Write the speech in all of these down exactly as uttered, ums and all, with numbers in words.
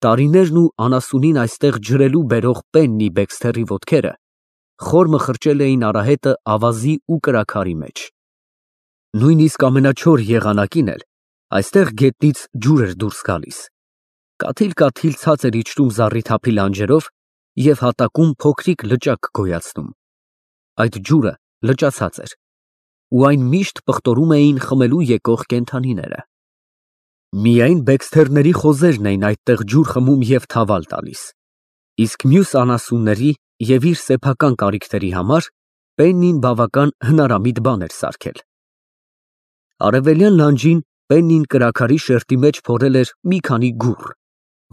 Տարիներն ու անասունին այստեղ ջրելու բերող Պեննի Բեքսթերի ոտքերը խոր մխրճել էին արահետը ավազի ու կրաքարի մեջ։ Նույնիսկ ամենաչոր եղանակին էլ այստեղ գետնից ջուր էր դուրս գալիս, կաթիլ֊կաթիլ ցած էր իջնում զառիթափի լանջերով և հատակում փոքրիկ լճակ գոյացնում։ Այդ ջուրը լճացած էր, ու այն միշտ պղտորում էին խմելու եկող կենդանիները։ Միայն Բեքսթերների խոզերն էին այդտեղ ջուր խմում և թավալ տալիս, իսկ մյուս անասունների և իր սեփական կարիքների համար Պեննին բավական հնարամիտ բան էր սարքել։ Արևելյան լանջին Պեննին կրաքարի շերտի մեջ փորել էր մի քանի գուռ,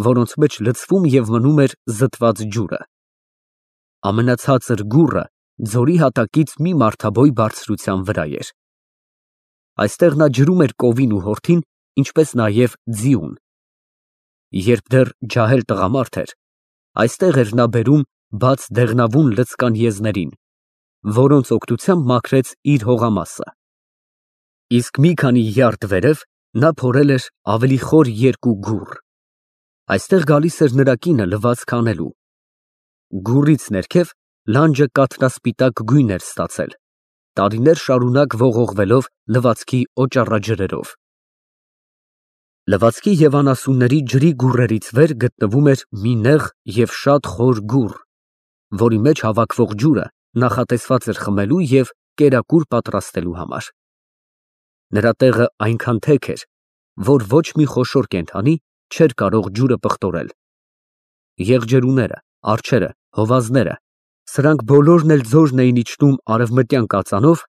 որոնց մեջ լցվում և մնում էր զտված ջուրը։ Ամենացածր գուռը ձորի հատակից մի մարդաբոյ բարձրության վրա էր։ Այստեղ նա ջրում էր կովին ու հորթին, ինչպես նաև ձիուն։ Երբ դեռ ջահել տղամարդ էր, այստեղ էր նա բերում բաց դեղնավուն լցկան եզներին, որոնց օգնությամբ մաքրեց իր հողամասը։ Իսկ մի քանի յարդ վերև նա փորել էր ավելի խոր երկու գուռ։ Այստեղ գալիս էր նրա կինը լվացք անելու։ Գուռից ներքև լանջը կաթնասպիտակ գույն էր ստացել, տարիներ շարունակ ողողվելով լվացքի օճառաջրերով։ Լվացքի և անասունների ջրի գուռերից վեր գտնվում էր մի նեղ և շատ խոր գուռ, որի մեջ հավաքվող ջուրը նախատեսված էր խմելու և կերակուր պատրաստելու համար։ Նրա տեղը այնքան թեք էր, որ ոչ մի խոշոր կենդանի չէր կարող ջուրը պղտորել։ Եղջերուները, արջերը, հովազները, սրանք բոլորն էլ ձորն էին իջնում արևմտյան կածանով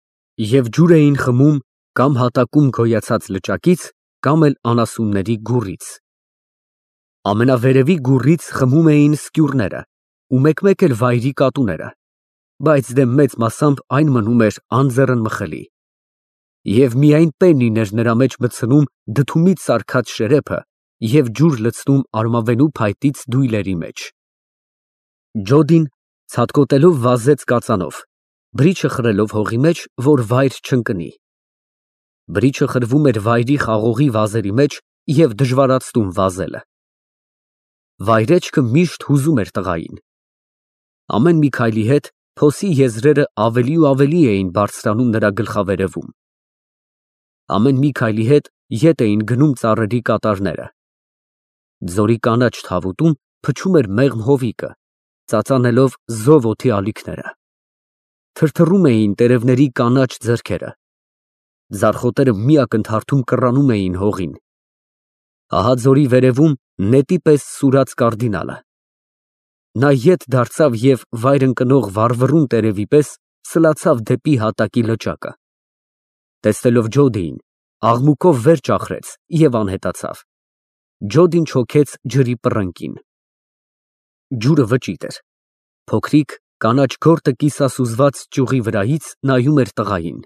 և ջուր էին խմում կամ հատակում գոյացած լճակից, կամ էլ անասունների գուռից։ Ամենավերևի գուռից խմում էին սկյուռները ու մեկ֊մեկ էլ վայրի կատուները, բայց դե մեծ մասամբ այն մնում էր անձեռնմխելի։ Եվ միայն Պեննին էր նրա մեջ մտցնում դդումից սարքած շերեփը և ջուր լցնում արմավենու փայտից դույլերի մեջ։ Ջոդին ցատկոտելով վազեց կածանով, բրիչը խրելով հողի մեջ, որ վայր չընկնի։ Բրիչը խրվում էր վայրի խաղողի վազերի մեջ և դժվարացնում վազելը։ Վայրեջքը միշտ հուզում էր տղային։ Ամեն մի քայլի հետ փոսի եզրերը ավելի ու ավելի էին բարձրանում նրա գլխավերևում։ Ամեն մի քայլի հետ ետ էին գնում ծառերի կատարները։ Ձորի կանաչ թավուտում փչում էր մեղմ հովիկը, ծածանելով զով օդի ալիքները։ Թրթռում էին տերևների կանաչ ձեռքերը։ Ձարխոտերը մի ակնթարթում կռանում էին հողին։ Ահա ձորի վերևում նետի պես սուրաց կարդինալը։ Նա ետ դարձավ և վայր ընկնող վառվռուն տերևի պես սլացավ դեպի հատակի լճակը։ Տեսնելով Ջոդիին, աղմուկով վեր ճախրեց և անհետացավ։ Ջոդին չոքեց ջրի պռնկին։ Ջուրը վճիտ էր։ Փոքրիկ կանաչ գորտը կիսասուզված ճյուղի վրայից նայում էր տղային։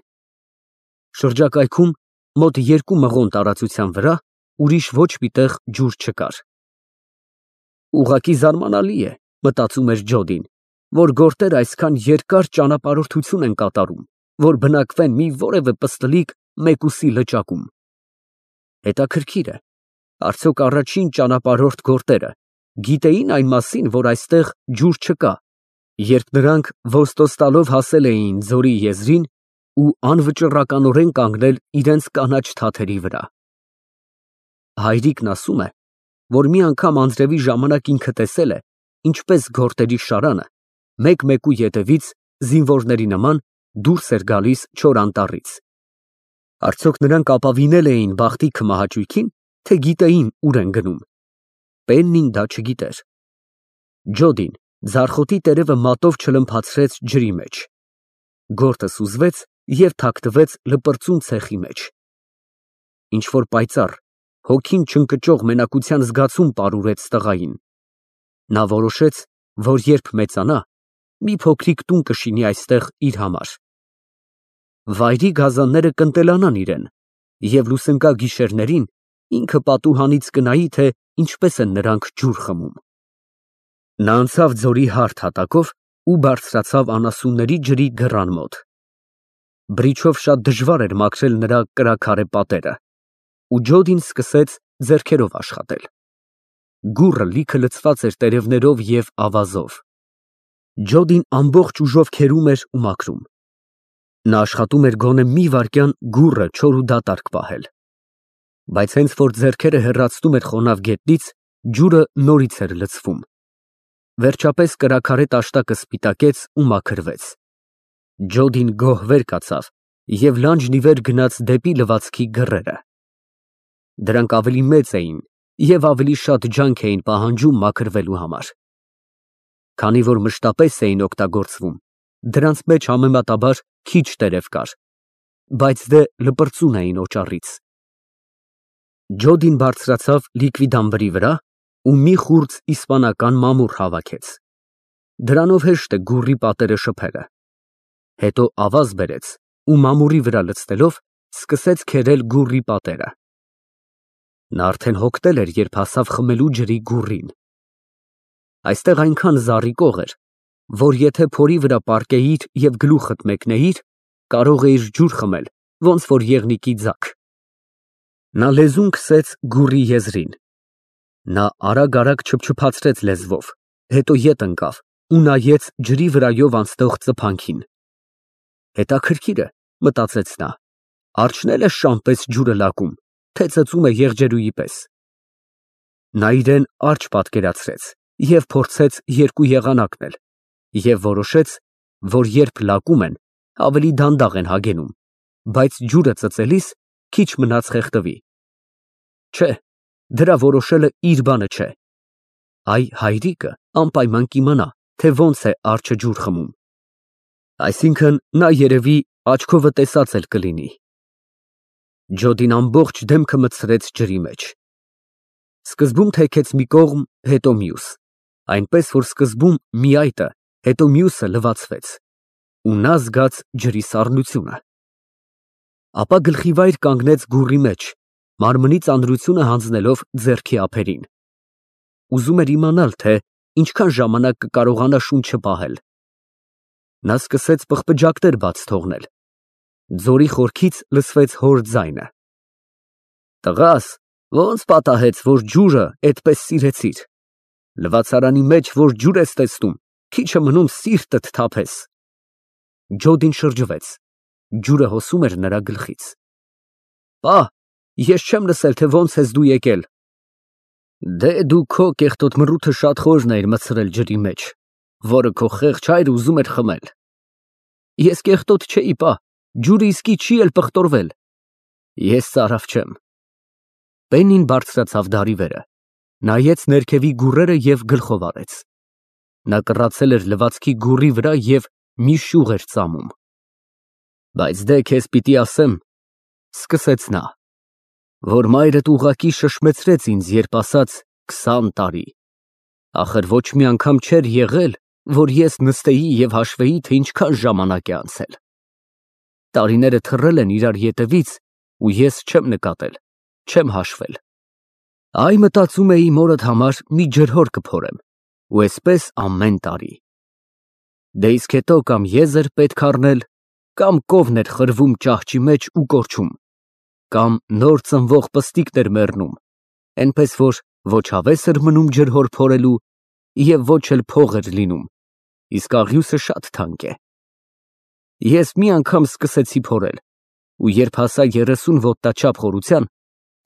Շրջակայքում, մոտ երկու մղոն տարածության վրա, ուրիշ ոչ մի տեղ ջուր չկար։ Ուղղակի զարմանալի է, մտածում էր Ջոդին, որ գորտերը այսքան երկար ճանապարհորդություն են կատարում, որ բնակվեն մի որևէ պստլիկ մեկուսի լճակում։ Հետաքրքիր է, արդյոք առաջին ճանապարհորդ գորտերը գիտեի՞ն այն մասին, որ այստեղ ջուր չկա, երբ նրանք ոստոստալով հասել էին ձորի եզրին ու անվճռականորեն կանգնել իրենց կանաչ թաթերի վրա։ Հայրիկն ասում է, որ մի անգամ անձրևի ժամանակ ինքը տեսել է, ինչպես գորտերի շարանը մեկ֊մեկու ետևից զինվորների նման դուրս էր գալիս չոր անտառից։ Արդյոք նրանք ապավինել էին բախտի քմահաճույքին, թե գիտեին ուր են գնում։ Պեննին դա չգիտեր։ Ջոդին ձարխոտի տերևը մատով չլմփացրեց ջրի մեջ։ Գորտը սուզվեց և թաքնվեց լպրծուն ցեխի մեջ։ Ինչ֊որ պայծառ, հոգին չընկճող մենակության զգացում պարուրեց տղային։ Նա որոշեց, որ երբ մեծանա, մի փոքրիկ տուն կշինի այստեղ իր համար։ Վայրի գազանները կընտելանան իրեն, և լուսնկա գիշերներին ինքը պատուհանից կնայի, թե ինչպես են նրանք ջուր խմում։ Նա անցավ ձորի հարթ հատակով ու բարձրացավ անասունների ջրի դռան մոտ։ Բրիչով շատ դժվար էր մաքրել նրա կրաքարե պատերը, ու Ջոդին սկսեց ձեռքերով աշխատել։ Գուռը լիքը լցված էր տերևներով և ավազով։ Ջոդին ամբողջ ուժով քերում էր ու մաքրում։ Նա աշխատում էր գոնե մի վայրկյան գուռը չոր ու դատարկ պահել։ Բայց հենց որ ձեռքերը հեռացնում էր խոնավ գետնից, ջուրը նորից էր լցվում։ Վերջապես կրաքարե տաշտակը սպիտակեց ու մաքրվեց։ Ջոդին գոհ վեր կացավ և լանջն ի վեր գնաց դեպի լվացքի գռերը։ Դրանք ավելի մեծ էին և ավելի շատ ջանք էին պահանջում մաքրվելու համար։ Քանի որ մշտապես էին օգտագործվում, դրանց մեջ համեմատաբար քիչ տերև կար, բայց դե լպրծուն էին օճառից։ Ջոդին բարձրացավ լիկվիդամբրի վրա ու մի խուրձ իսպանական մամուռ հավաքեց։ Դրանով հեշտ է գուռի պատերը շփելը։ Հետո ավազ բերեց ու մամուրի վրա լցնելով սկսեց քերել գուռի պատերը։ Նա արդեն հոգնել էր, երբ հասավ խմելու ջրի գուռին։ Այստեղ այնքան զառիկող էր, որ եթե փորի վրա պառկեիր և գլուխդ մեկնեիր, կարող էիր ջուր խմել, ոնց որ եղնիկի ձագ։ Նա լեզուն քսեց գուռի եզրին։ Նա արագ֊արագ չփչփացրեց լեզվով, հետո ետ ընկավ ու նայեց ջրի վրայով անցնող ծփանքին։ Հետաքրքիր է, մտածեց նա, արջն էլ է շան պես ջուրը լակում, թե ծծում է եղջերուի պես։ Նա իրեն արջ պատկերացրեց և փորձեց երկու եղանակն էլ և որոշեց, որ երբ լակում են, ավելի դանդաղ են հագենում, բայց ջուրը ծծելիս քիչ մնաց խեղդվի։ Չէ, դրա որոշելը իր բանը չէ։ Այ հայրիկը անպայման կիմանա, թե ոնց է արջը ջուր խմում։ Այսինքն նա երևի աչքովը տեսած էլ կլինի։ Ջոդին ամբողջ դեմքը մտցրեց ջրի մեջ։ Սկզբում թեքեց մի կողմ, հետո մյուս, այնպես որ սկզբում մի այտը, հետո մյուսը լվացվեց, ու նա զգաց ջրի սառնությունը։ Ապա գլխիվայր կանգնեց գուռի մեջ, մարմնի ծանրությունը հանձնելով ձեռքի ափերին։ Ուզում էր իմանալ, թե ինչքան ժամանակ կկարողանա շունչը պահել։ Նա սկսեց պղպջակներ բաց թողնել։ Ձորի խորքից լսվեց հոր ձայնը. Տղաս, ոնց պատահեց, որ ջուրը էդպես սիրեցիր։ Լվացարանի մեջ, որ ջուր ես տեսնում, քիչ է մնում սիրտդ թափես։ Ջոդին շրջվեց։ Ջուրը հոսում էր նրա գլխից։ Պա, ես չեմ լսել, թե ոնց ես դու եկել։ Դե դու քո կեղտոտ մռութը շատ խորն էիր մտցրել ջրի մեջ, որը քո խեղճ հայրը ուզում էր խմել։ Ես կեղտոտ չէի, պա, ջուրը իսկի չի էլ պղտորվել։ Ես ծարավ չեմ։ Պեննին բարձրացավ դարի վերը, նայեց ներքևի գուռերը և գլխով արեց։ Նա կռացել էր լվացքի գուռի վրա և մի շյուղ էր ծամում։ Բայց դե քեզ պիտի ասեմ, սկսեց նա, որ մայրդ ուղղակի շշմեցրեց ինձ, երբ ասաց քսան տարի։ Ախր ոչ մի անգամ չէր եղել, որ ես նստեի և հաշվեի, թե ինչքան ժամանակ է անցել։ Տարիները թռել են իրար ետևից, ու ես չեմ նկատել, չեմ հաշվել։ Այ մտածում էի մորդ համար մի ջրհոր կփորեմ, ու էսպես ամեն տարի։ Դե իսկ հետո կամ եզր պետք առնել, կամ կովն էր խրվում ճահճի մեջ ու կորչում, կամ նոր ծնվող պստիկներ մեռնում, էնպես որ ոչ հավես էր մնում ջրհոր փորելու և ոչ էլ փող էր լինում, իսկ աղյուսը շատ թանկ է։ Ես մի անգամ սկսեցի փորել, ու երբ հասա երեսուն ոտնաչափ խորության,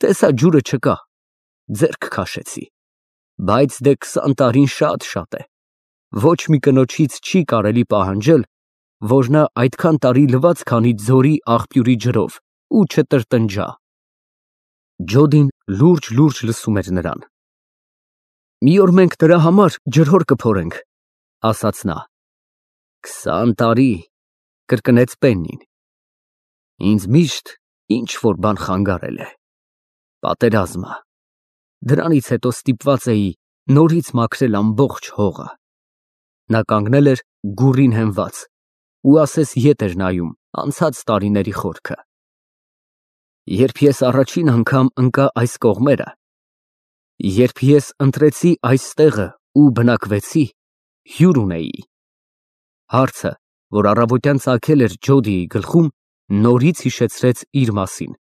տեսա ջուրը չկա, ձեռք քաշեցի, բայց դե քսան տարին շատ֊շատ է, ոչ մի կնոջից չի կարելի պահանջել, որ նա այդքան տարի լվացք անի ձորի աղբյուրի ջրով ու չտրտնջա։ Ջոդին լուրջ-լուրջ լսում էր նրան։ Մի օր մենք դրա համար ջրհոր կփորենք, ասաց նա։ Քսան տարի, կրկնեց Պեննին։ Ինձ միշտ ինչ֊որ բան խանգարել է։ Պատերազմը։ Դրանից հետո ստիպված էի նորից մաքրել ամբողջ հողը։ Նա կանգնել էր գուռին հենված ու ասես ետ էր նայում անցած տարիների խորքը։ Երբ ես առաջին անգամ ընկա այս կողմերը, երբ ես ընտրեցի այս տեղը ու բնակվեցի, հյուր ունեի։ Հարցը, որ առավոտյան ծագել էր Ջոդիի գլխում, նորից հիշեցրեց իր մասին։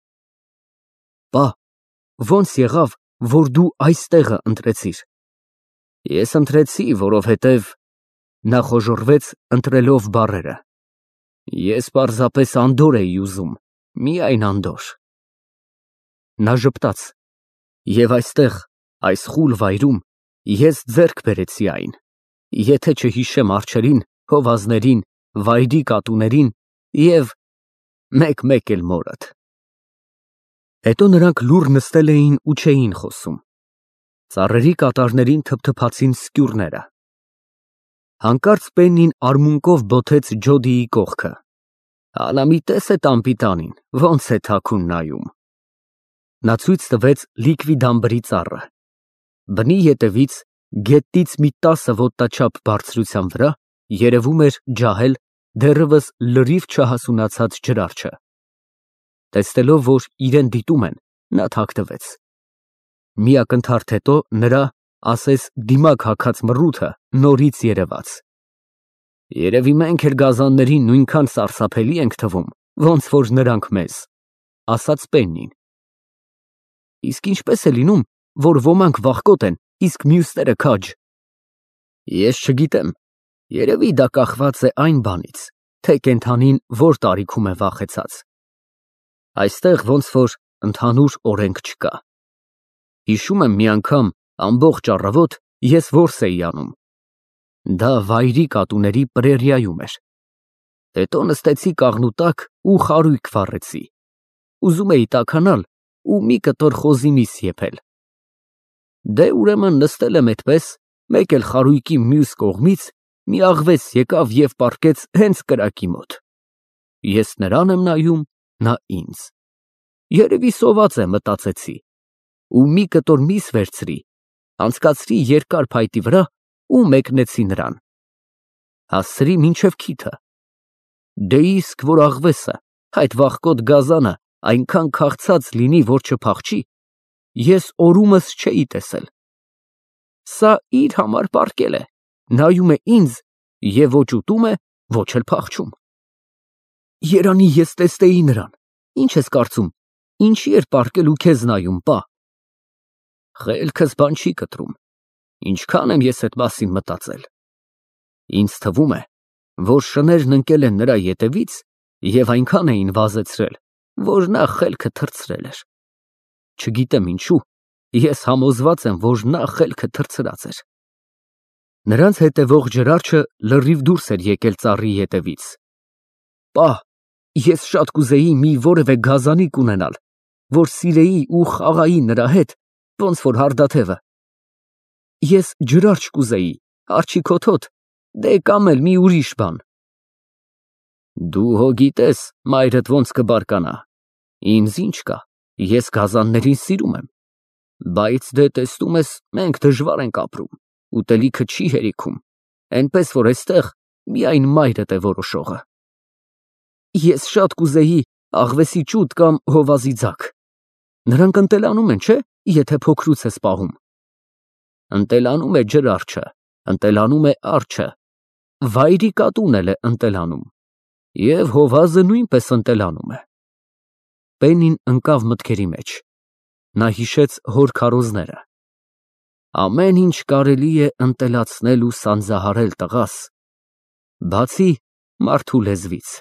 Պա, ոնց եղավ, որ դու այս տեղը ընտրեցիր։ Ես ընտրեցի, որովհետև… Նա խոժոռվեց, ընտրելով բառերը։ Ես պարզապես Անդորր էի ուզում, միայն Անդորր։ Նա ժպտաց. Եվ այստեղ, այս խուլ վայրում, ես ձեռք բերեցի այն, եթե չհիշեմ արջերին, հովազներին, վայրի կատուներին և մեկ֊մեկ էլ մորդ։ Հետո նրանք լուռ նստել էին ու չէին խոսում։ Ծառերի կատարներին թփթփացին սկյուրները։ Հանկարծ Պեննին արմունկով բոթեց Ջոդիի կողքը։ Հալա մի տես էդ անպիտանին, ոնց է թաքուն նայում։ Նա ցույց տվեց լիկվիդ ամբրի ծառը։ Բնի ետևից, գետնից մի տասը ոտնաչափ բարձրության վրա, երևում էր ջահել, դեռևս լրիվ չհասունացած ջրառչը։ Տեսնելով, որ իրան դիտում են, նա թաքնվեց։ Մի ակնթարթ հետո նրա, ասես դիմակ հագած մռութը նորից երևաց։ Երևի մենք էլ գազաններին նույնքան սարսափելի ենք թվում, ոնց որ նրանք մեզ, ասաց Պեննին։ Իսկ ինչպես է լինում, որ ոմանք վախկոտ են, իսկ մյուսները քաջ։ Ես չգիտեմ, երևի դա կախված է այն բանից, թե կենդանին որ տարիքում է վախեցած։ Այստեղ ոնց որ ընդհանուր օրենք չկա։ Հիշում եմ մի անգամ ամբողջ առավոտ ես որս էի անում։ Դա վայրի կատուների պրերիայում էր։ Հետո նստեցի կաղնու տակ ու խարույկ վառեցի։ Ուզում էի տաքանալ ու մի կտոր խոզի միս եփել։ Դե ուրեմն նստել եմ այդպես, մեկ էլ խարույկի մյուս կողմից մի աղվես եկավ և պառկեց հենց կրակի մոտ։ Ես նրան եմ նայում, նա ինձ։ Երևի սոված է, մտածեցի, ու մի կտոր միս վերցրի, անցկացրի երկար փայտի վրա ու մեկնեցի նրան։ Հասցրի մինչև քիթը։ Դե իսկ որ աղվեսը, այդ վախկոտ գազանը այնքան քաղցած լինի, որ չփախչի, ես օրումս չէի տեսել։ Սա իր համար պառկել է, նայում է ինձ և ոչ ուտում է, ոչ էլ փախչում։ Երանի ես տեսնեի նրան, ինչ ես կարծում, ինչի էր պառկել ու քեզ նայում, պա։ Խելքս բան չի կտրում, ինչքան եմ ես այդ մասին մտածել։ Ինձ թվում է, որ շներն ընկել են նրա ետևից և այնքան էին վազեցրել, որ նա խելքը թռցրել էր։ Չգիտեմ ինչու, ես համոզված եմ, որ նա խելքը թռցրած էր։ Նրանց հետևող ջրառչը լրիվ դուրս էր եկել ծառի ետևից։ Պա, ես շատ կուզեի մի որևէ գազանիկ ունենալ, որ սիրեի ու խաղայի նրա հետ, ոնց որ հարդաթևը։ Ես ջրարճ կուզեի, արջի կոթոտ, դե կամ էլ մի ուրիշ բան։ Դու հո գիտես մայրդ ոնց կբարկանա, ինձ ինչ կա, ես գազաններին սիրում եմ, բայց դե տեսնում ես, մենք դժվար ենք ապրում, ուտելիքը չի հերիքում, էնպես որ էստեղ միայն մայրդ է որոշողը։ Ես շատ կուզեի աղվեսի ճուտ կամ հովազի ձագ։ Նրանք ընտելանում են, չէ՞, եթե փոքրուց ես պահում։ Ընտելանում է ջրառչը, ընտելանում է արջը, վայրի կատուն էլ է ընտելանում, և հովազը նույնպես ընտելանում է։ Պեննին ընկավ մտքերի մեջ։ Նա հիշեց հոր քարոզները։ Ամեն ինչ կարելի է ընտելացնել ու սանձահարել, տղաս, բացի մարդու լեզվից։